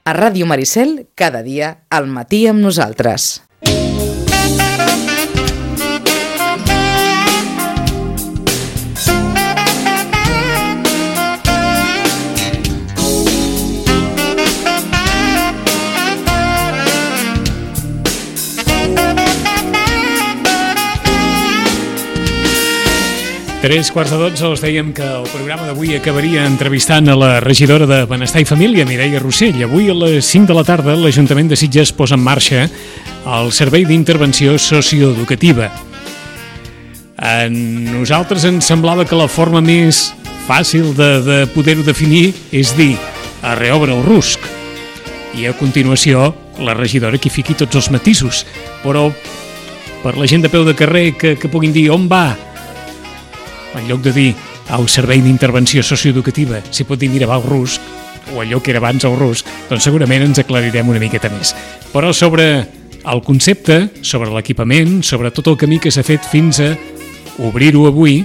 A Ràdio Maricel, cada dia, al matí amb nosaltres. Tres quarts de 12 us dèiem que el programa d'avui acabaria entrevistant a la regidora de Benestar i Família, Mireia Rossell. Avui a les 5 de la tarda l'Ajuntament de Sitges posa en marxa el Servei d'Intervenció Socioeducativa. A nosaltres ens semblava que la forma més fàcil de poder-ho definir és dir a reobre el rusc. I a continuació la regidora que hi fiqui tots els matisos. Però per la gent de peu de carrer que puguin dir on va, en lloc de dir al Servei d'Intervenció Socioeducativa, s'hi pot dir mira va al rusc, o allò que era abans al rusc, doncs segurament ens aclarirem una miqueta més. Però sobre el concepte, sobre l'equipament, sobre tot el camí que s'ha fet fins a obrir-ho avui,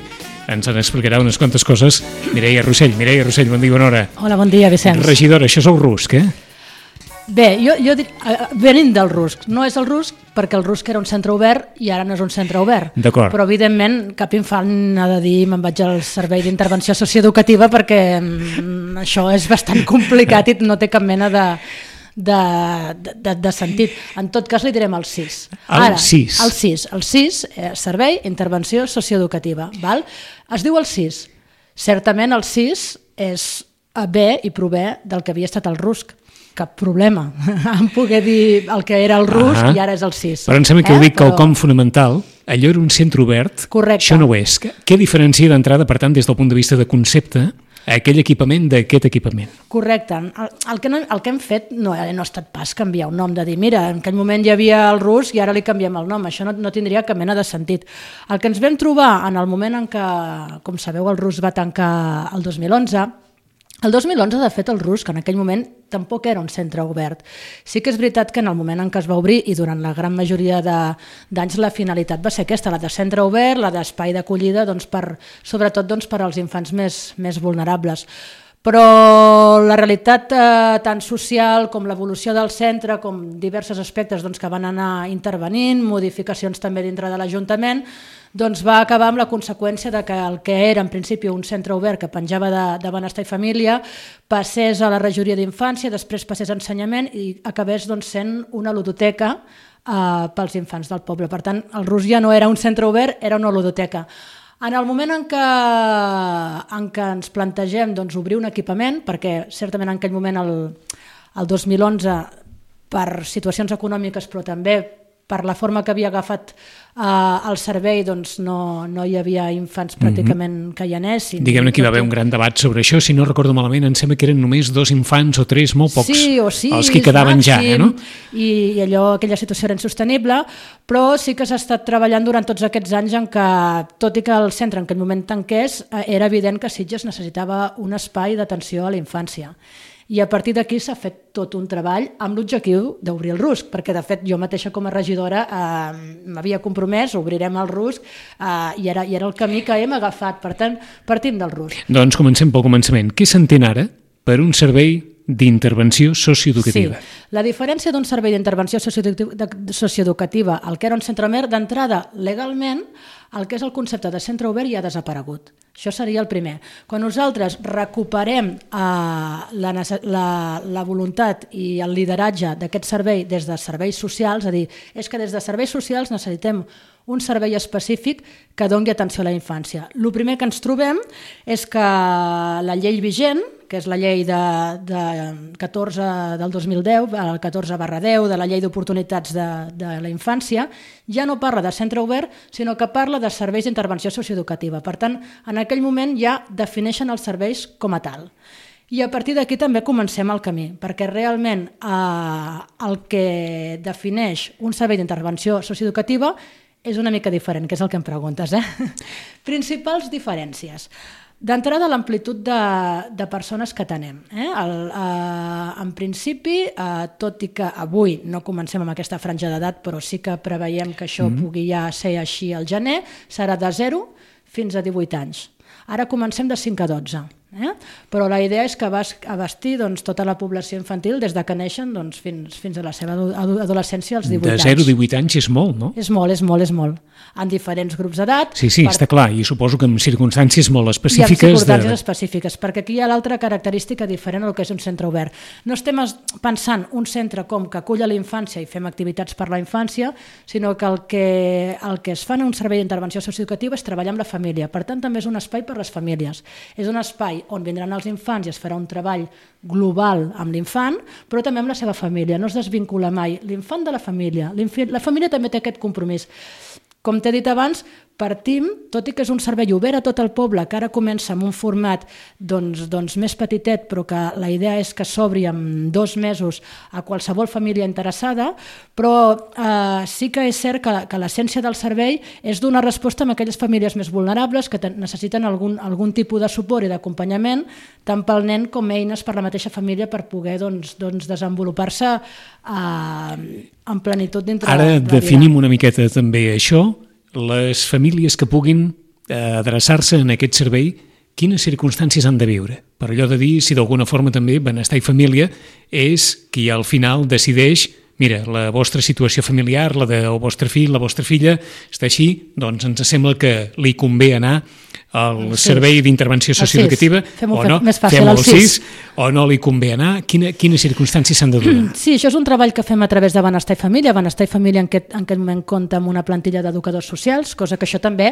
ens en explicarà unes quantes coses Mireia Rossell. Mireia Rossell, bon dia, bona hora. Hola, bon dia, Vicenç. Regidora, això és el rusc, eh? Bé, jo dic, venint del rusc, no és el rusc perquè el rusc era un centre obert i ara no és un centre obert. D'acord. Però evidentment cap infant ha de dir me'n vaig al Servei d'Intervenció Socioeducativa perquè això és bastant complicat i no té cap mena de sentit. En tot cas li direm el CIS. El CIS. El CIS, Servei d'Intervenció Socioeducativa. Val? Es diu el CIS. Certament el CIS és ve i prové del que havia estat el rusc. Cap problema en poder dir el que era el rusc i ara és el CIS. Però em sembla que heu dit quelcom fonamental. Allò era un centre obert. Correcte. Això no ho és. Què diferencia d'entrada, per tant, des del punt de vista de concepte, aquell equipament d'aquest equipament? Correcte. El que hem fet no ha estat pas canviar un nom, de dir, mira, en aquell moment hi havia el rusc i ara li canviem el nom. Això no tindria cap mena de sentit. El que ens vam trobar en el moment en què, com sabeu, el rusc va tancar el 2011, el 2011, de fet, el rusc en aquell moment tampoc era un centre obert. Sí que és veritat que en el moment en què es va obrir i durant la gran majoria d'anys la finalitat va ser aquesta, la de centre obert, la d'espai d'acollida, sobretot per als infants més vulnerables. Però la realitat tant social com l'evolució del centre, com diversos aspectes que van anar intervenint, modificacions també dintre de l'Ajuntament, va acabar amb la conseqüència de que el que era en principi un centre obert que penjava de Benestar i Família passés a la regidoria d'infància, després passés a ensenyament i acabés sent una ludoteca pels infants del poble. Per tant, el rusc ja no era un centre obert, era una ludoteca. En el moment en què ens plantegem obrir un equipament, perquè certament en aquell moment, el 2011, per situacions econòmiques, però també per la forma que havia agafat el servei, no hi havia infants pràcticament que hi anessin. Diguem-ne que hi va haver un gran debat sobre això. Si no recordo malament, em sembla que eren només 2 infants o 3, molt pocs, els que quedaven ja. No? I aquella situació era insostenible, però sí que s'ha estat treballant durant tots aquests anys en què, tot i que el centre en aquell moment tanqués, era evident que Sitges necessitava un espai d'atenció a la infància. I a partir d'aquí s'ha fet tot un treball amb l'objectiu d'obrir el rusc, perquè de fet jo mateixa com a regidora m'havia compromès, obrirem el rusc i era el camí que hem agafat, per tant partim del rusc. Doncs comencem pel començament. Què s'entén ara per un servei d'intervenció socioeducativa? Sí, la diferència d'un servei d'intervenció socioeducativa al que era un centre obert, d'entrada legalment, el que és el concepte de centre obert ja ha desaparegut. Això seria el primer. Quan nosaltres recuperem la voluntat i el lideratge d'aquest servei des de serveis socials, és a dir, és que des de serveis socials necessitem un servei específic que doni atenció a la infància. El primer que ens trobem és que la llei vigent, que és la llei de 14 del 2010, el 14/10 de la llei d'oportunitats de la infància, ja no parla de centre obert, sinó que parla de serveis d'intervenció socioeducativa. Per tant, en aquell moment ja defineixen els serveis com a tal. I a partir d'aquí també comencem el camí, perquè realment el que defineix un servei d'intervenció socioeducativa és una mica diferent, que és el que em preguntes. Principals diferències. D'entrada, l'amplitud de persones que tenem. En principi, tot i que avui no comencem amb aquesta franja d'edat, però sí que preveiem que això pugui ja ser així al gener, serà de 0 fins a 18 anys. Ara comencem de 5 a 12. Però la idea és que abastir tota la població infantil des de que neixen fins a la seva adolescència als 18 anys. De 0 a 18 anys és molt, no? És molt. En diferents grups d'edat. Sí, està clar, i suposo que en circumstàncies molt específiques. I en circumstàncies específiques, perquè aquí hi ha l'altra característica diferent del que és un centre obert. No estem pensant un centre com que acull a la infància i fem activitats per la infància, sinó que el que es fa en un servei d'intervenció socioeducativa és treballar amb la família. Per tant, també és un espai per a les famílies. És un espai on vindran els infants i es farà un treball global amb l'infant, però també amb la seva família. No es desvincula mai l'infant de la família. La família també té aquest compromís. Com t'he dit abans, partim, tot i que és un servei obert a tot el poble, que ara comença amb un format més petitet, però que la idea és que s'obri en 2 mesos a qualsevol família interessada, però sí que és cert que l'essència del servei és donar resposta a aquelles famílies més vulnerables que necessiten algun tipus de suport i d'acompanyament, tant pel nen com eines per la mateixa família per poder desenvolupar-se en plenitud dintre de la vida. Ara definim una miqueta també això. Les famílies que puguin adreçar-se en aquest servei, quines circumstàncies han de viure? Per allò de dir, si d'alguna forma també Benestar i Família és qui al final decideix, mira, la vostra situació familiar, la del vostre fill, la vostra filla, està així, doncs ens sembla que li convé anar al servei d'intervenció socioeducativa, o no, fem el 6, o no li convé anar, quines circumstàncies s'han de donar? Sí, això és un treball que fem a través de Benestar i Família. Benestar i Família en aquest moment compta amb una plantilla d'educadors socials, cosa que això també,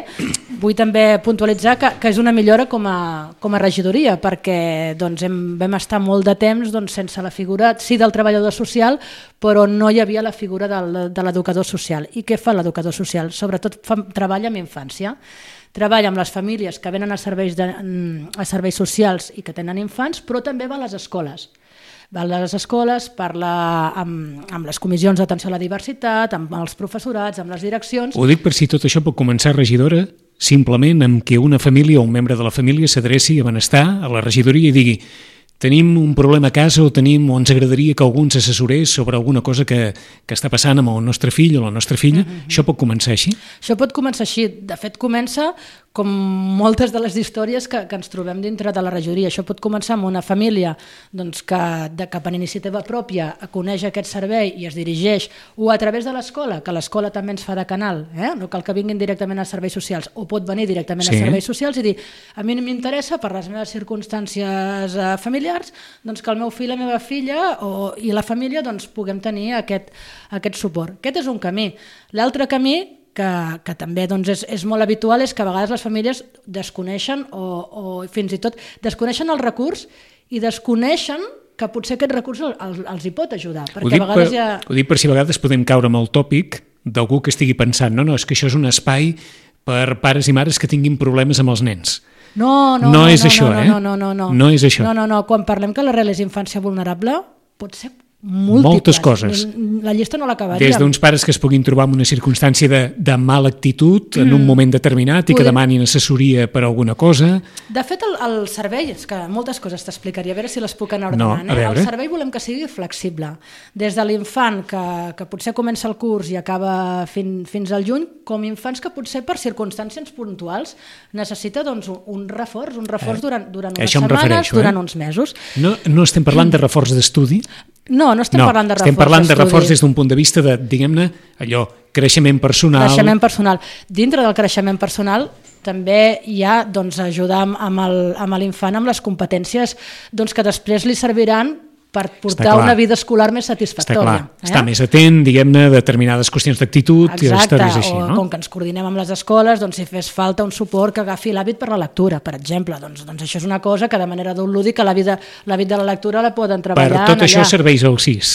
vull també puntualitzar que és una millora com a regidoria, perquè vam estar molt de temps sense la figura, sí, del treballador social, però no hi havia la figura de l'educador social. I què fa l'educador social? Sobretot treballa amb infància. Treballa amb les famílies que venen a serveis socials i que tenen infants, però també va a les escoles. Va a les escoles, parla amb les comissions d'atenció a la diversitat, amb els professorats, amb les direccions. Ho dic per si tot això pot començar, regidora, simplement amb que una família o un membre de la família s'adreci a Benestar, a la regidoria, i digui: tenim un problema a casa o ens agradaria que algú ens assessorés sobre alguna cosa que està passant amb el nostre fill o la nostra filla. Això pot començar així? Això pot començar així. De fet, comença com moltes de les històries que ens trobem dintre de la regidoria. Això pot començar amb una família que per iniciativa pròpia coneix aquest servei i es dirigeix, o a través de l'escola, que l'escola també ens fa de canal, no cal que vinguin directament a serveis socials, o pot venir directament a serveis socials i dir: a mi m'interessa, per les meves circumstàncies familiars, que el meu fill, la meva filla i la família puguem tenir aquest suport. Aquest és un camí. L'altre camí, que també és molt habitual, és que a vegades les famílies desconeixen o fins i tot desconeixen el recurs i desconeixen que potser aquest recurs els hi pot ajudar. Ho dic per si a vegades podem caure amb el tòpic d'algú que estigui pensant no, és que això és un espai per pares i mares que tinguin problemes amb els nens. No és això. No. Quan parlem que l'arrel és infància vulnerable, pot ser moltes coses. La llista no l'acabaríem. Des d'uns pares que es puguin trobar en una circumstància de mala actitud en un moment determinat i que demanin assessoria per alguna cosa. De fet, el servei, és que moltes coses t'explicaria, a veure si les puc anar ordenant. El servei volem que sigui flexible. Des de l'infant que potser comença el curs i acaba fins al juny, com infants que potser per circumstàncies puntuals necessita un reforç durant unes setmanes, durant uns mesos. No estem parlant de reforç d'estudi? No estem parlant de reforç d'estudi. Estem parlant de reforç des d'un punt de vista de, diguem-ne, allò, creixement personal. Creixement personal. Dintre del creixement personal també hi ha ajudar amb l'infant amb les competències que després li serviran per portar una vida escolar més satisfactòria. Està més atent, diguem-ne, a determinades qüestions d'actitud i històries així, no? Com que ens coordinem amb les escoles, si fes falta un suport que agafi l'hàbit per la lectura, per exemple. Doncs això és una cosa que de manera d'un lúdic l'hàbit de la lectura la poden treballar. Per tot això serveix el 6.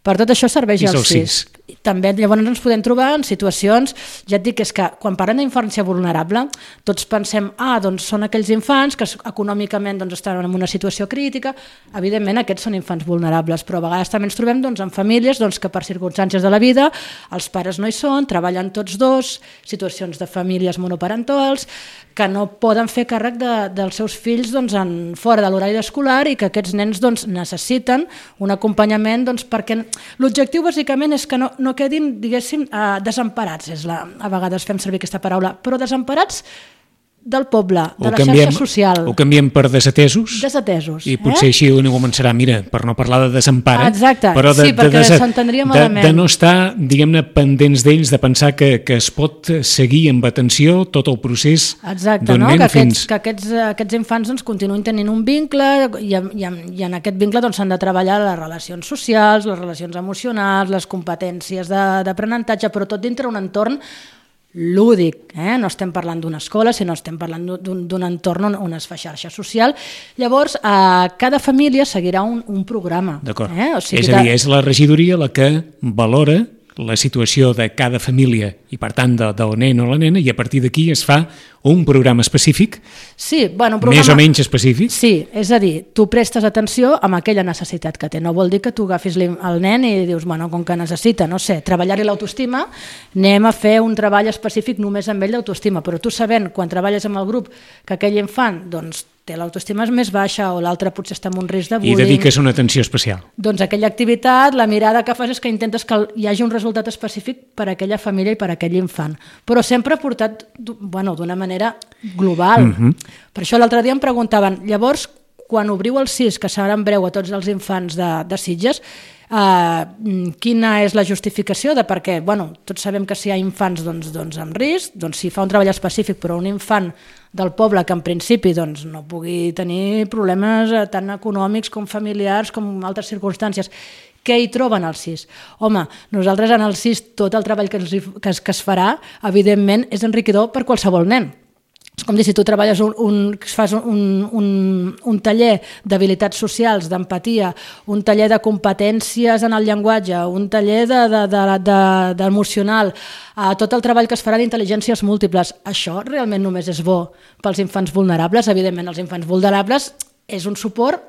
Per tot això serveix el 6. També llavors ens podem trobar en situacions, ja et dic, és que quan parlem d'infància vulnerable tots pensem, són aquells infants que econòmicament estan en una situació crítica. Evidentment aquests són infants vulnerables, però a vegades també ens trobem en famílies que per circumstàncies de la vida els pares no hi són, treballen tots dos, situacions de famílies monoparentals que no poden fer càrrec dels seus fills fora de l'horari escolar i que aquests nens necessiten un acompanyament perquè l'objectiu bàsicament és que no quedin, diguéssim, desemparats. A vegades fem servir aquesta paraula, però desemparats del poble, de la xarxa social. Ho canviem per desatesos. Desatesos. I potser així una començarà, mira, per no parlar de desempara, exacte, però sí, perquè s'entendria malament. De no estar, diguem-ne, pendents d'ells, de pensar que es pot seguir amb atenció tot el procés d'un nen fins... Que aquests infants doncs, continuïn tenint un vincle i en aquest vincle doncs, s'han de treballar les relacions socials, les relacions emocionals, les competències d'aprenentatge, però tot dintre un entorn lúdic, no estem parlant d'una escola, sinó estem parlant d'un entorn on es fa xarxa social. Llavors, cada família seguirà un programa. D'acord. O sigui, és a dir, és la regidoria la que valora la situació de cada família i, per tant, del nen o la nena, i a partir d'aquí es fa un programa específic, sí, bueno, un programa, més o menys específic. Sí, és a dir, tu prestes atenció amb aquella necessitat que té. No vol dir que tu agafis el nen i dius, bueno, com que necessita, no sé, treballar-hi l'autoestima, anem a fer un treball específic només amb ell d'autoestima, però tu sabent, quan treballes amb el grup, que aquell infant, doncs, té l'autoestima més baixa o l'altre potser està en un risc de bullying. I dediques una atenció especial. Doncs aquella activitat, la mirada que fas és que intentes que hi hagi un resultat específic per a aquella família i per a aquell infant. Però sempre portat d'una manera global. Per això l'altre dia em preguntaven, llavors, quan obriu el CIS, que serà en breu a tots els infants de Sitges, quina és la justificació de per què? Tots sabem que si hi ha infants amb risc, doncs si fa un treball específic, però un infant del poble que en principi no pugui tenir problemes tant econòmics com familiars com altres circumstàncies, què hi troben al CIS? Home, nosaltres en el CIS tot el treball que es farà, evidentment, és enriquidor per qualsevol nen. És com dir, si tu treballes fas un taller d'habilitats socials, d'empatia, un taller de competències en el llenguatge, un taller d'emocional, tot el treball que es farà d'intel·ligències múltiples, això realment només és bo pels infants vulnerables. Evidentment, els infants vulnerables és un suport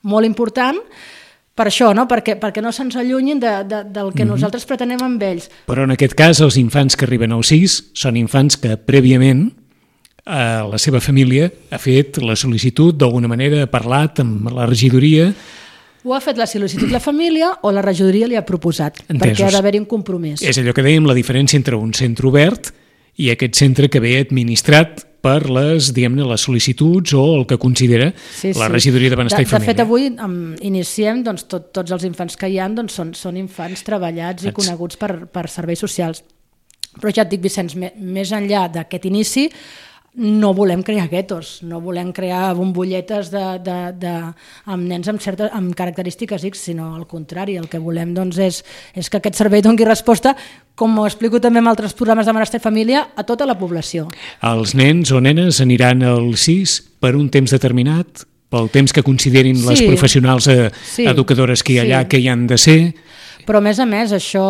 molt important per això, no? Perquè no se'ns allunyin del que nosaltres pretenem amb ells. Però en aquest cas, els infants que arriben al CIS són infants que prèviament la seva família ha fet la sol·licitud, d'alguna manera ha parlat amb la regidoria. Ho ha fet la sol·licitud la família o la regidoria li ha proposat, perquè ha d'haver-hi un compromís. És allò que dèiem, la diferència entre un centre obert i aquest centre que ve administrat per les, diguem-ne, les sol·licituds o el que considera la regidoria de Benestar i Família. De fet, avui iniciem, tots els infants que hi ha són infants treballats i coneguts per serveis socials. Però ja et dic, Vicenç, més enllà d'aquest inici, no volem crear guetos, no volem crear bombolletes amb nens amb característiques X, sinó al contrari, el que volem és que aquest servei doni resposta, com ho explico també en altres programes de Benestar i Família, a tota la població. Els nens o nenes aniran al CIS per un temps determinat, pel temps que considerin les professionals educadores que hi ha allà, que hi han de ser. Però, a més, això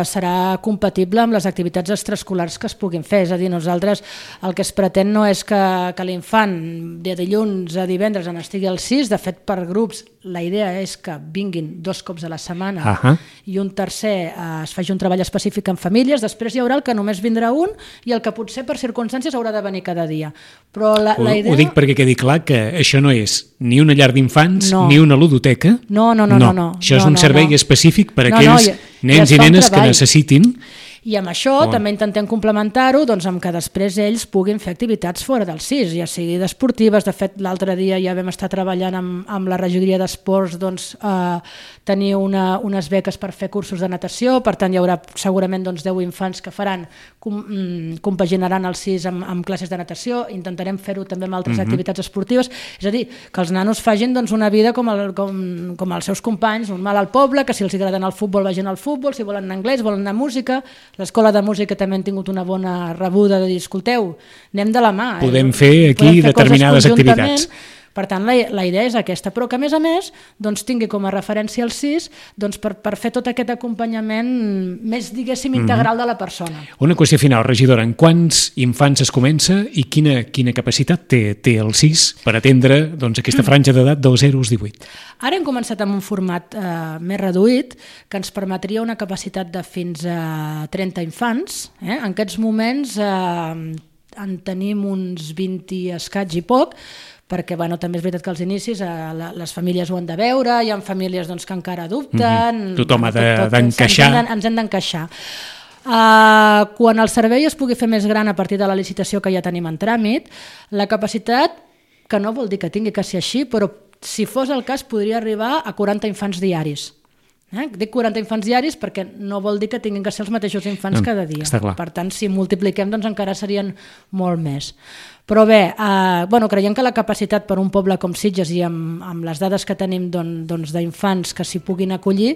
serà compatible amb les activitats extraescolars que es puguin fer. És a dir, nosaltres el que es pretén no és que l'infant de dilluns a divendres en estigui al CIS. De fet, per grups, la idea és que vinguin 2 cops a la setmana i un tercer es faci un treball específic en famílies. Després hi haurà el que només vindrà un i el que potser per circumstàncies haurà de venir cada dia. Però la idea... Ho dic perquè quedi clar que això no és ni una llar d'infants ni una ludoteca. No. Això és un servei específic per aquells nens i nenes que necessitin. I amb això també intentem complementar-ho amb que després ells puguin fer activitats fora del CIS, ja sigui d'esportives. De fet, l'altre dia ja vam estar treballant amb la regidoria d'esports tenir unes beques per fer cursos de natació. Per tant, hi haurà segurament 10 infants que compaginaran el CIS amb classes de natació. Intentarem fer-ho també amb altres activitats esportives. És a dir, que els nanos facin una vida com els seus companys, normal al poble, que si els agrada anar al futbol vagin al futbol, si volen anar a anglès, volen anar a música. L'escola de música també han tingut una bona rebuda de dir, escolteu, anem de la mà. Podem fer aquí determinades activitats. Per tant, la idea és aquesta, però que a més tingui com a referència el CIS per fer tot aquest acompanyament més, diguéssim, integral de la persona. Una qüestió final, regidora, en quants infants es comença i quina capacitat té el CIS per atendre aquesta franja d'edat dels 0 als 18? Ara hem començat amb un format més reduït que ens permetria una capacitat de fins a 30 infants. En aquests moments en tenim uns 20 i escaig i poc, perquè també és veritat que als inicis les famílies ho han de veure, hi ha famílies que encara dubten... Tothom ha d'encaixar. Ens hem d'encaixar. Quan el servei es pugui fer més gran a partir de la licitació que ja tenim en tràmit, la capacitat, que no vol dir que tingui que ser així, però si fos el cas podria arribar a 40 infants diaris. Dic 40 infants diaris perquè no vol dir que tinguin que ser els mateixos infants cada dia. Per tant, si multipliquem, doncs encara serien molt més. Però bé, creiem que la capacitat per un poble com Sitges i amb les dades que tenim d'infants que s'hi puguin acollir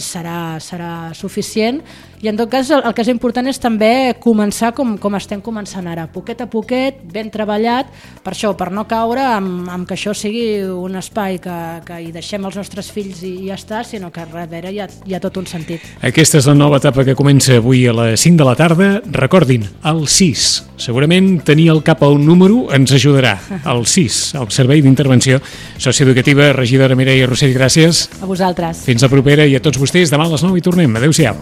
serà suficient, i en tot cas el que és important és també començar com estem començant ara, poquet a poquet, ben treballat, per això, per no caure amb que això sigui un espai que hi deixem els nostres fills i ja està, sinó que darrere hi ha tot un sentit. Aquesta és la nova etapa que comença avui a les 5 de la tarda. Recordin, el 6. Segurament tenir al cap el número ens ajudarà. El 6, el Servei d'Intervenció Socioeducativa. Regidora Mireia Rossell, gràcies. A vosaltres. Fins la propera, i a tots vostès, demà a les 9 hi tornem. Adéu-siau.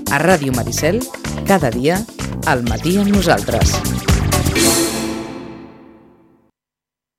A Ràdio Maricel, cada dia, al matí amb nosaltres.